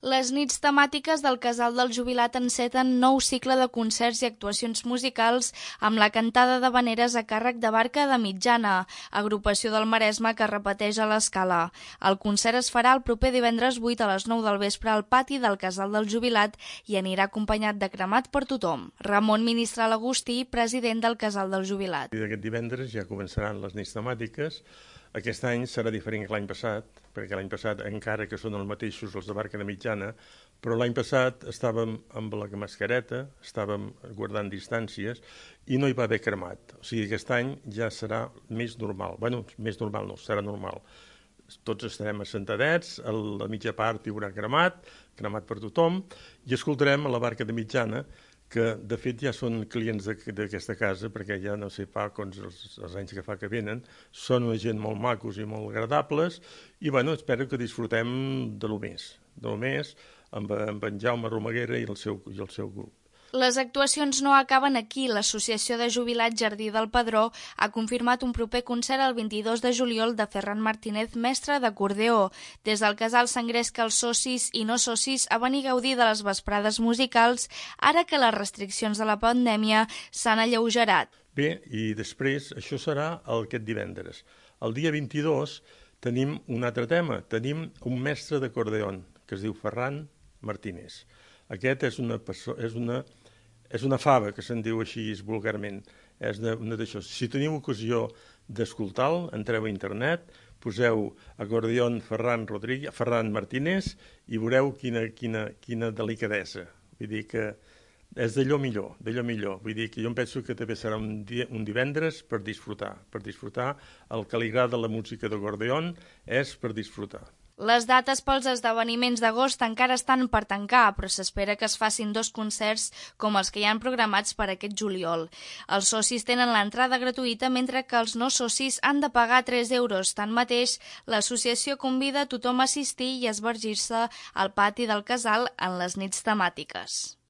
Les nits temàtiques del Casal del Jubilat enceten nou cicle de concerts i actuacions musicals amb la cantada d'havaneres a càrrec de Barca de Mitjana, agrupació del Maresme que repeteix a l'Escala. El concert es farà el proper divendres 8 a les 9 del vespre al pati del Casal del Jubilat i anirà acompanyat de cremat per tothom. Ramon Ministral Agustí, president del Casal del Jubilat. Aquest divendres ja començaran les nits temàtiques. Aquest any serà diferent que l'any passat, perquè l'any passat, encara que són els mateixos els de Barca de Mitjana, però l'any passat estàvem amb la mascareta, estàvem guardant distàncies i no hi va haver cremat. O sigui, aquest any ja serà més normal. Bueno, més normal no, serà normal. Tots estarem assentadets, a la mitja part hi haurà cremat per tothom, i escoltarem a la Barca de Mitjana, que de fet ja són clients d'aquesta casa, perquè ja no sé fa els anys que fa que venen, són una gent molt macos i molt agradables, i bueno, espero que disfrutem de lo més, amb en Jaume Romaguera i el seu grup. Les actuacions no acaben aquí. L'Associació de Jubilats Jardí del Pedró ha confirmat un proper concert el 22 de juliol de Ferran Martínez, mestre d'acordeó. Des del casal s'engresca els socis i no socis a venir a gaudir de les vesprades musicals, ara que les restriccions de la pandèmia s'han alleugerat. Bé, i després, això serà aquest divendres. El dia 22 tenim un altre tema. Tenim un mestre d'acordeó que es diu Ferran Martínez. Aquest és una fava, que se'n diu així vulgarment. És una d'això. Si teniu ocasió d'escoltar-lo, entreu a internet, poseu acordeó Ferran Martínez i veureu quina delicadesa. Vull dir que és d'allò millor. Vull dir que jo em penso que també serà un divendres per disfrutar. El que li agrada la música d'acordeó és per disfrutar. Les dates pels esdeveniments d'agost encara estan per tancar, però s'espera que es facin 2 concerts com els que hi han programats per aquest juliol. Els socis tenen l'entrada gratuïta, mentre que els no socis han de pagar 3 euros. Tanmateix, l'associació convida a tothom a assistir i a esbargir-se al pati del casal en les nits temàtiques.